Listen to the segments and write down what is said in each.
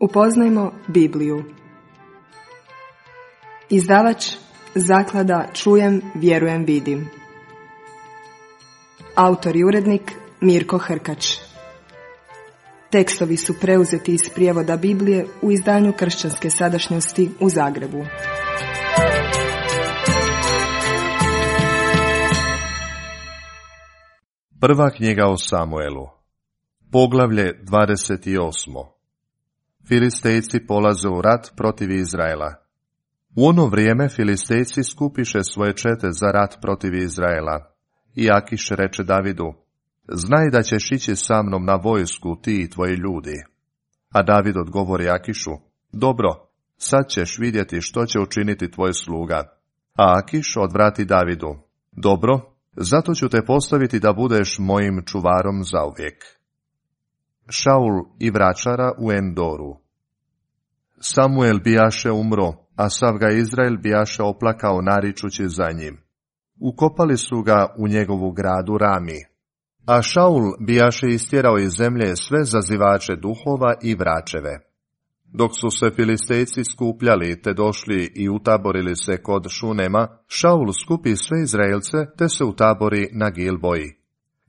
Upoznajmo Bibliju. Izdavač Zaklada Čujem, vjerujem, vidim. Autor i urednik Mirko Hrkač. Tekstovi su preuzeti iz prijevoda Biblije u izdanju Kršćanske sadašnjosti u Zagrebu. Prva knjiga o Samuelu. Poglavlje 28. Filistejci polaze u rat protiv Izraela. U ono vrijeme Filistejci skupiše svoje čete za rat protiv Izraela. I Akiš reče Davidu: znaj da ćeš ići sa mnom na vojsku, ti i tvoji ljudi. A David odgovori Akišu: dobro, sad ćeš vidjeti što će učiniti tvoj sluga. A Akiš odvrati Davidu: dobro, zato ću te postaviti da budeš mojim čuvarom zauvijek. Šaul i vračara u Endoru. Samuel bijaše umro, a sav ga Izrael bijaše oplakao naričući za njim. Ukopali su ga u njegovu gradu Rami. A Šaul bijaše istjerao iz zemlje sve zazivače duhova i vračeve. Dok su se Filistejci skupljali te došli i utaborili se kod Šunema, Šaul skupi sve Izraelce te se utabori na Gilboji.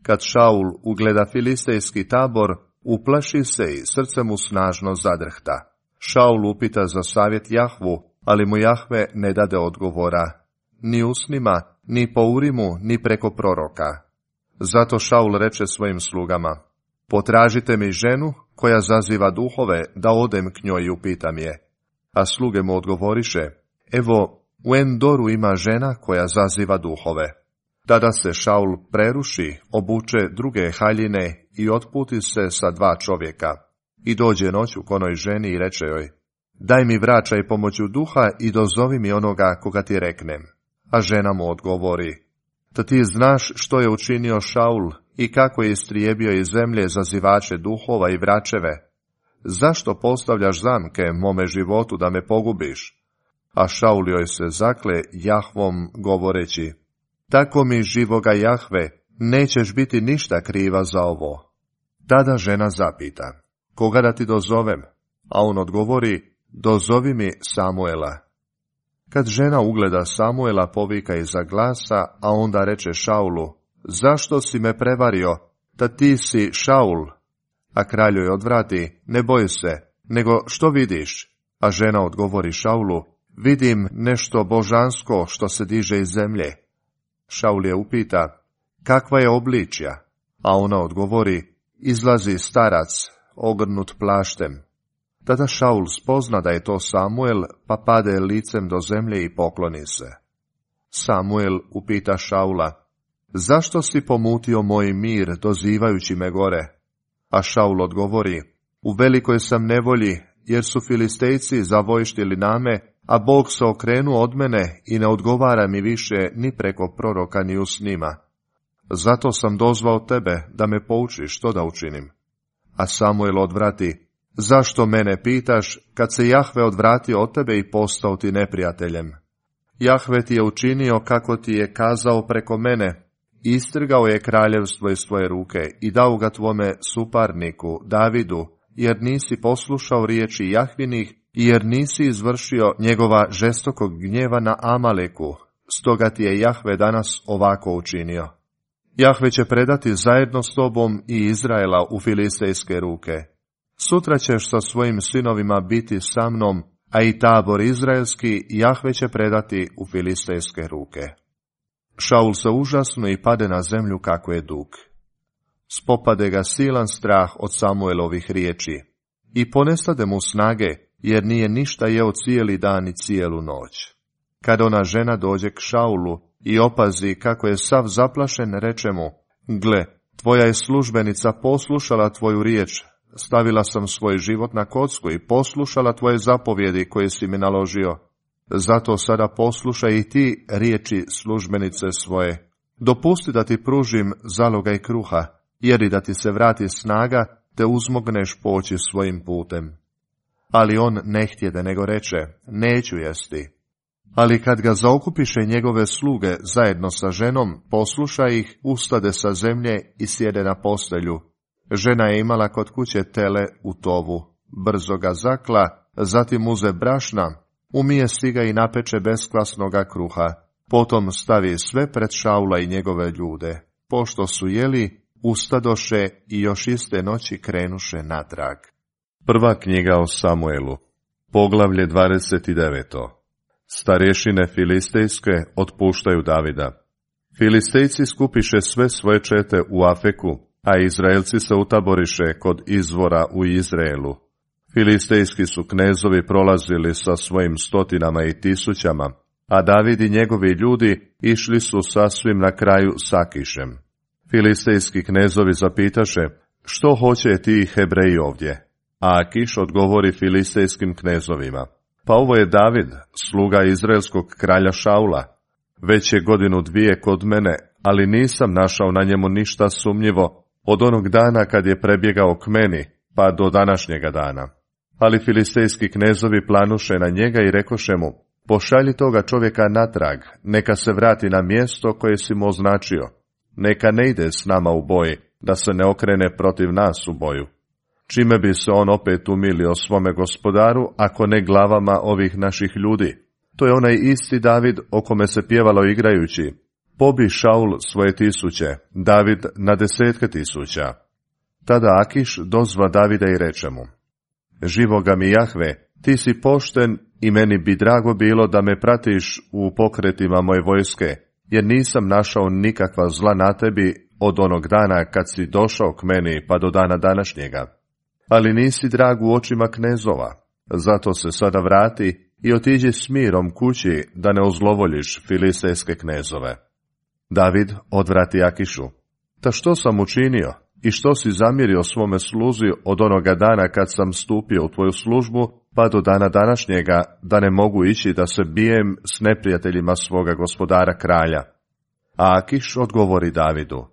Kad Šaul ugleda filistejski tabor, uplaši se i srce mu snažno zadrhta. Šaul upita za savjet Jahvu, ali mu Jahve ne dade odgovora, ni usnima, ni po Urimu, ni preko proroka. Zato Šaul reče svojim slugama: potražite mi ženu koja zaziva duhove, da odem k njoj i upitam je. A sluge mu odgovoriše: evo, u Endoru ima žena koja zaziva duhove. Tada se Šaul preruši, obuče druge haljine i otputi se sa 2 čovjeka. I dođe noću k onoj ženi i reče joj: daj mi vračaj pomoću duha i dozovi mi onoga koga ti reknem. A žena mu odgovori: da ti znaš što je učinio Šaul i kako je istrijebio iz zemlje zazivače duhova i vračeve. Zašto postavljaš zamke mome životu da me pogubiš? A Šaul joj se zakle Jahvom govoreći: tako mi živoga Jahve, nećeš biti ništa kriva za ovo. Tada žena zapita: koga da ti dozovem? A on odgovori: dozovi mi Samuela. Kad žena ugleda Samuela, povika iza glasa, a onda reče Šaulu: zašto si me prevario, da ti si Šaul? A kralj joj odvrati: ne boj se, nego što vidiš? A žena odgovori Šaulu: vidim nešto božansko što se diže iz zemlje. Šaul je upita: kakva je obličja? A ona odgovori: izlazi starac, ogrnut plaštem. Tada Šaul spozna da je to Samuel, pa pade licem do zemlje i pokloni se. Samuel upita Šaula: zašto si pomutio moj mir, dozivajući me gore? A Šaul odgovori: u velikoj sam nevolji, jer su Filistejci zavojštili na me, a Bog se okrenuo od mene i ne odgovara mi više ni preko proroka ni usnima. Zato sam dozvao tebe da me poučiš što da učinim. A Samuel odvrati: zašto mene pitaš, kad se Jahve odvratio od tebe i postao ti neprijateljem? Jahve ti je učinio kako ti je kazao preko mene, istrgao je kraljevstvo iz tvoje ruke i dao ga tvome suparniku, Davidu, jer nisi poslušao riječi Jahvinih i jer nisi izvršio njegova žestokog gnjeva na Amaleku, stoga ti je Jahve danas ovako učinio. Jahve će predati zajedno s tobom i Izraela u filistejske ruke. Sutra ćeš sa svojim sinovima biti sa mnom, a i tabor izraelski Jahve će predati u filistejske ruke. Šaul se užasno i pade na zemlju kako je dug. Spopade ga silan strah od Samuelovih riječi i ponestade mu snage, jer nije ništa jeo cijeli dan i cijelu noć. Kad ona žena dođe k Šaulu i opazi kako je sav zaplašen, reče mu: gle, tvoja je službenica poslušala tvoju riječ, stavila sam svoj život na kocku i poslušala tvoje zapovjedi koje si mi naložio. Zato sada poslušaj i ti riječi službenice svoje. Dopusti da ti pružim zalogaj kruha, jer i da ti se vrati snaga, te uzmogneš poći svojim putem. Ali on ne htjede, nego reče: neću jesti. Ali kad ga zaokupiše njegove sluge zajedno sa ženom, posluša ih, ustade sa zemlje i sjede na postelju. Žena je imala kod kuće tele u tovu, brzo ga zakla, zatim uze brašna, umije si ga i napeče beskvasnoga kruha, potom stavi sve pred Šaula i njegove ljude. Pošto su jeli, ustadoše i još iste noći krenuše natrag. Prva knjiga o Samuelu, poglavlje 29. Starešine filistejske otpuštaju Davida. Filistejci skupiše sve svoje čete u Afeku, a Izraelci se utaboriše kod izvora u Izraelu. Filistejski su knezovi prolazili sa svojim stotinama i tisućama, a David i njegovi ljudi išli su sasvim na kraju s Akišem. Filistejski knezovi zapitaše, što hoće ti Hebreji ovdje? A Akiš odgovori filistejskim knezovima, pa ovo je David, sluga izraelskog kralja Šaula. Već je 1-2 godinu kod mene, ali nisam našao na njemu ništa sumnjivo od onog dana kad je prebjegao k meni, pa do današnjega dana. Ali filistejski knezovi planuše na njega i rekoše mu, pošalji toga čovjeka natrag, neka se vrati na mjesto koje si mu označio. Neka ne ide s nama u boj, da se ne okrene protiv nas u boju. Čime bi se on opet umilio svome gospodaru, ako ne glavama ovih naših ljudi? To je onaj isti David o kome se pjevalo igrajući. Pobi Šaul svoje tisuće, David na 10.000. Tada Akiš dozva Davida i reče mu, živoga mi Jahve, ti si pošten i meni bi drago bilo da me pratiš u pokretima moje vojske, jer nisam našao nikakva zla na tebi od onog dana kad si došao k meni pa do dana današnjega. Ali nisi drag u očima knezova, zato se sada vrati i otiđi s mirom kući da ne ozlovoljiš filistejske knezove. David odvrati Akišu, ta što sam učinio i što si zamjerio svome sluzi od onoga dana kad sam stupio u tvoju službu pa do dana današnjega, da ne mogu ići da se bijem s neprijateljima svoga gospodara kralja? A Akiš odgovori Davidu,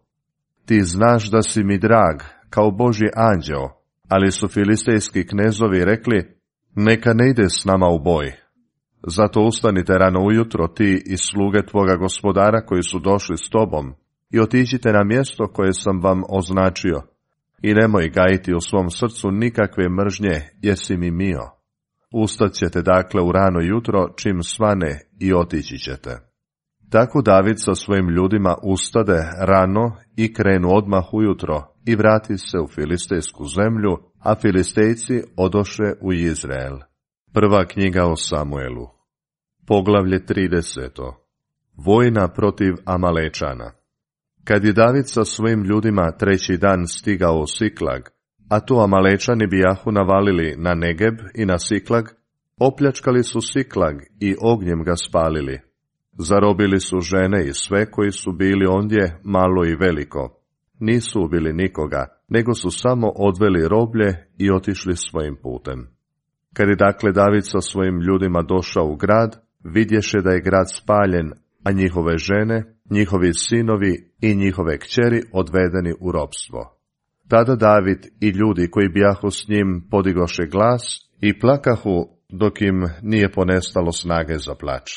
ti znaš da si mi drag kao Božji anđeo, ali su filistejski knezovi rekli, neka ne ide s nama u boj. Zato ustanite rano ujutro ti i sluge tvoga gospodara koji su došli s tobom i otiđite na mjesto koje sam vam označio i nemoj gajiti u svom srcu nikakve mržnje jer si mi mio. Ustat ćete dakle u rano jutro čim svane i otići ćete. Tako David sa svojim ljudima ustade rano i krenu odmah ujutro i vrati se u filistejsku zemlju, a Filistejci odoše u Izrael. Prva knjiga o Samuelu, poglavlje 30. Vojna protiv Amalečana. Kad je David sa svojim ljudima 3. dan stigao u Siklag, a to Amalečani bijahu navalili na Negeb i na Siklag, opljačkali su Siklag i ognjem ga spalili. Zarobili su žene i sve koji su bili ondje, malo i veliko. Nisu ubili nikoga, nego su samo odveli roblje i otišli svojim putem. Kad je dakle David sa svojim ljudima došao u grad, vidješe da je grad spaljen, a njihove žene, njihovi sinovi i njihove kćeri odvedeni u ropstvo. Tada David i ljudi koji bijahu s njim podigoše glas i plakahu dok im nije ponestalo snage za plač.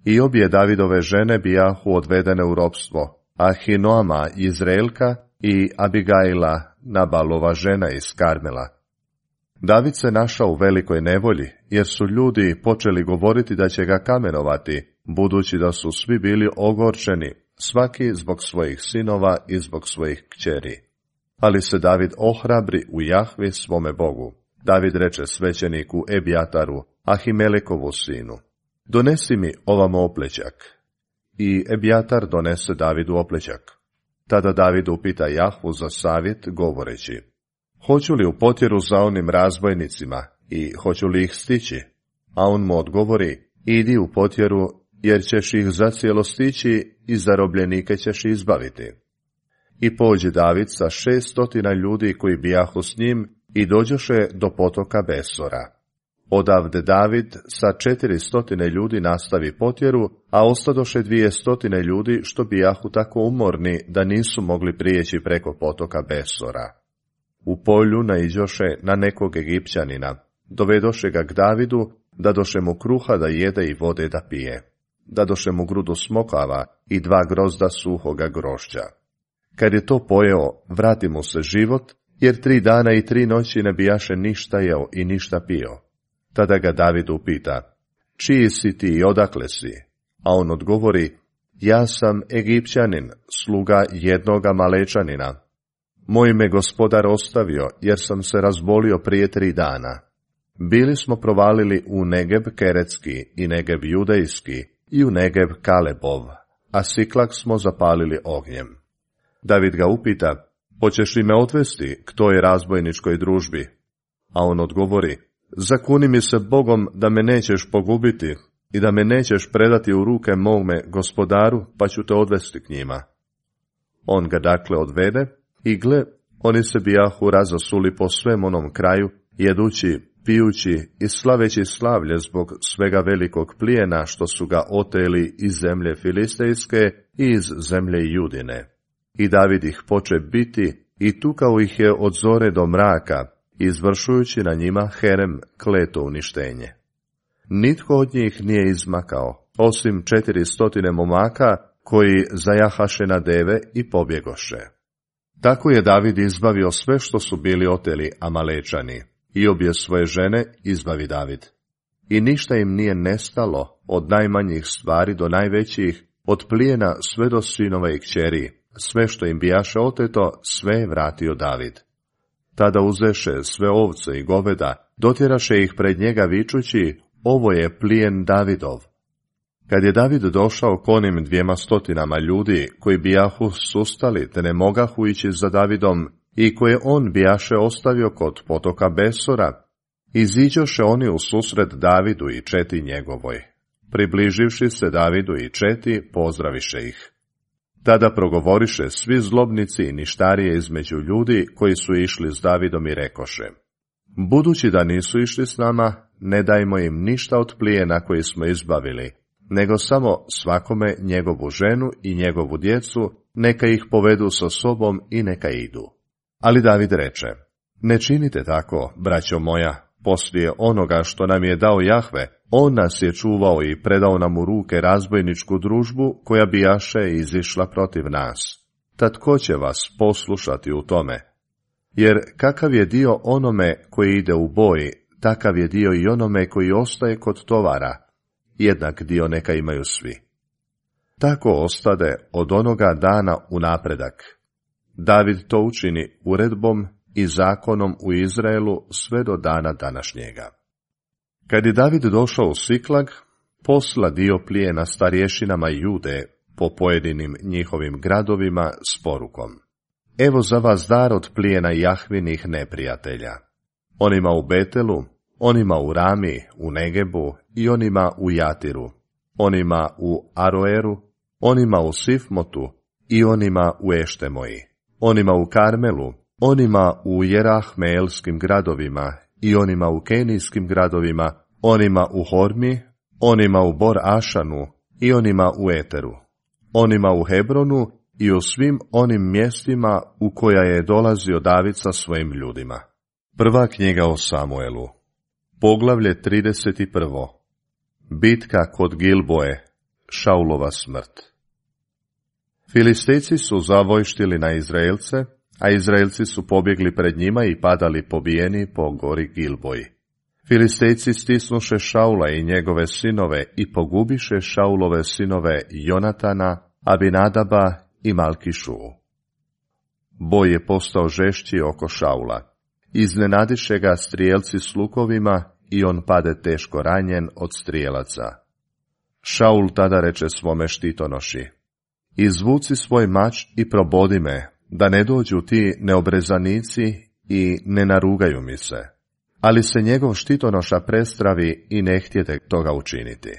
I obje Davidove žene bijahu odvedene u ropstvo, Ahinoama Izraelka i Abigaila, Nabalova žena iz Karmela. David se našao u velikoj nevolji, jer su ljudi počeli govoriti da će ga kamenovati, budući da su svi bili ogorčeni, svaki zbog svojih sinova i zbog svojih kćeri. Ali se David ohrabri u Jahvi svome Bogu. David reče svećeniku Ebijataru, Ahimelekovu sinu, donesi mi ovamo oplećak. I Ebijatar donese Davidu oplećak. Tada David upita Jahvu za savjet, govoreći, hoću li u potjeru za onim razbojnicima i hoću li ih stići? A on mu odgovori, idi u potjeru, jer ćeš ih zacijelo stići i zarobljenike ćeš izbaviti. I pođe David sa 600 ljudi koji bijahu s njim i dođoše do potoka Besora. Odavde David sa 400 ljudi nastavi potjeru, a ostadoše 200 ljudi što bijahu tako umorni da nisu mogli prijeći preko potoka Besora. U polju naiđoše na nekog Egipćanina, dovedoše ga k Davidu, dadoše mu kruha da jede i vode da pije. Dadoše mu grudu smokava i 2 grozda suhoga grožđa. Kad je to pojeo, vrati mu se život jer 3 dana i 3 noći ne bijaše ništa jeo i ništa pio. Tada ga David upita, čiji si ti i odakle si? A on odgovori, ja sam Egipćanin, sluga jednog Amalečanina. Moj me gospodar ostavio, jer sam se razbolio prije 3 dana. Bili smo provalili u Negeb Keretski i Negeb Judejski i u Negeb Kalebov, a Siklak smo zapalili ognjem. David ga upita, hoćeš li me odvesti k toj razbojničkoj družbi? A on odgovori, zakuni mi se Bogom da me nećeš pogubiti i da me nećeš predati u ruke mome gospodaru, pa ću te odvesti k njima. On ga dakle odvede i gle, oni se bijahu razasuli po svem onom kraju, jedući, pijući i slaveći slavlje zbog svega velikog plijena što su ga oteli iz zemlje Filistejske i iz zemlje Judine. I David ih poče biti i tukao ih je od zore do mraka, izvršujući na njima herem kleto uništenje. Nitko od njih nije izmakao, osim 400 momaka koji zajahaše na deve i pobjegoše. Tako je David izbavio sve što su bili oteli Amalečani, i obje svoje žene izbavi David. I ništa im nije nestalo, od najmanjih stvari do najvećih, od plijena sve do sinova i kćeri, sve što im bijaše oteto, sve je vratio David. Tada uzeše sve ovce i goveda, dotjeraše ih pred njega vičući, ovo je plijen Davidov. Kad je David došao k onim 200 ljudi, koji bijahu sustali, te ne mogahu ići za Davidom, i koje on bijaše ostavio kod potoka Besora, iziđoše oni u susret Davidu i četi njegovoj. Približivši se Davidu i četi, pozdraviše ih. Tada progovoriše svi zlobnici i ništarije između ljudi koji su išli s Davidom i rekoše, budući da nisu išli s nama, ne dajmo im ništa od plijena koji smo izbavili, nego samo svakome njegovu ženu i njegovu djecu, neka ih povedu sa sobom i neka idu. Ali David reče, ne činite tako, braćo moja, poslije onoga što nam je dao Jahve, on nas je čuvao i predao nam u ruke razbojničku družbu koja bijaše izišla protiv nas. Tad ko će vas poslušati u tome? Jer kakav je dio onome koji ide u boj, takav je dio i onome koji ostaje kod tovara, jednak dio neka imaju svi. Tako ostade od onoga dana u napredak. David to učini uredbom i zakonom u Izraelu sve do dana današnjega. Kad je David došao u Siklag, posla dio plijena starješinama Jude po pojedinim njihovim gradovima s porukom. Evo za vas dar od plijena Jahvinih neprijatelja. Onima u Betelu, onima u Rami, u Negebu i onima u Jatiru, onima u Aroeru, onima u Sifmotu i onima u Eštemoji, onima u Karmelu, onima u Jerahmeelskim gradovima i onima u Kenijskim gradovima, onima u Hormi, onima u Bor Ašanu i onima u Eteru, onima u Hebronu i u svim onim mjestima u koja je dolazio David sa svojim ljudima. Prva knjiga o Samuelu, poglavlje 31. Bitka kod Gilboje, Šaulova smrt. Filistejci su zavojštili na Izraelce, a Izraelci su pobjegli pred njima i padali pobijeni po gori Gilboji. Filistejci stisnuše Šaula i njegove sinove i pogubiše Šaulove sinove Jonatana, Abinadaba i Malkišu. Boj je postao žešći oko Šaula. Iznenadiše ga strijelci s lukovima i on pade teško ranjen od strijelaca. Šaul tada reče svome štitonoši, izvuci svoj mač i probodi me, da ne dođu ti neobrezanici i ne narugaju mi se. Ali se njegov štitonoša prestravi i ne htjete toga učiniti.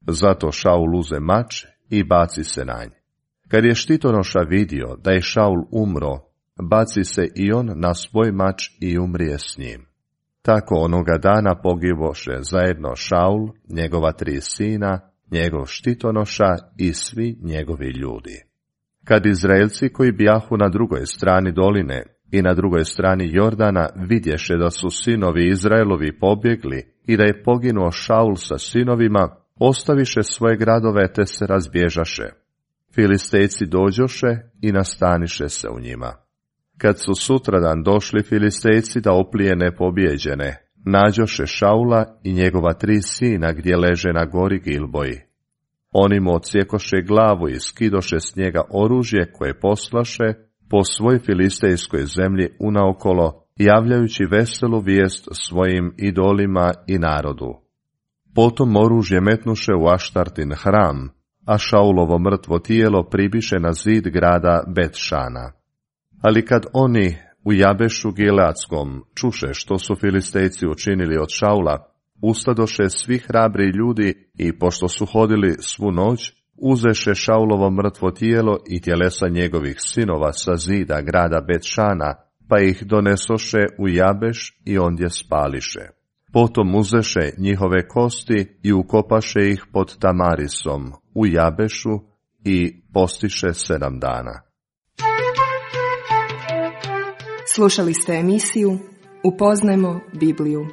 Zato Šaul uze mač i baci se na nj. Kad je štitonoša vidio da je Šaul umro, baci se i on na svoj mač i umrije s njim. Tako onoga dana pogiboše zajedno Šaul, njegova 3 sina, njegov štitonoša i svi njegovi ljudi. Kad Izraelci koji bijahu na drugoj strani doline i na drugoj strani Jordana vidješe da su sinovi Izraelovi pobjegli i da je poginuo Šaul sa sinovima, ostaviše svoje gradove te se razbježaše. Filistejci dođoše i nastaniše se u njima. Kad su sutradan došli Filistejci da oplijene pobjeđene, nađoše Šaula i njegova 3 sina gdje leže na gori Gilboji. Oni mu odsjekoše glavu i skidoše s njega oružje koje poslaše po svoj filistejskoj zemlji unaokolo, javljajući veselu vijest svojim idolima i narodu. Potom oružje metnuše u Aštartin hram, a Šaulovo mrtvo tijelo pribiše na zid grada Bet-Šana. Ali kad oni u Jabešu Gileadskom čuše što su Filistejci učinili od Šaula, ustadoše svi hrabri ljudi i pošto su hodili svu noć, uzeše Šaulovo mrtvo tijelo i tjelesa njegovih sinova sa zida grada Bet-Šana, pa ih donesoše u Jabeš i ondje spališe. Potom uzeše njihove kosti i ukopaše ih pod Tamarisom u Jabešu i postiše 7 dana. Slušali ste emisiju Upoznajmo Bibliju.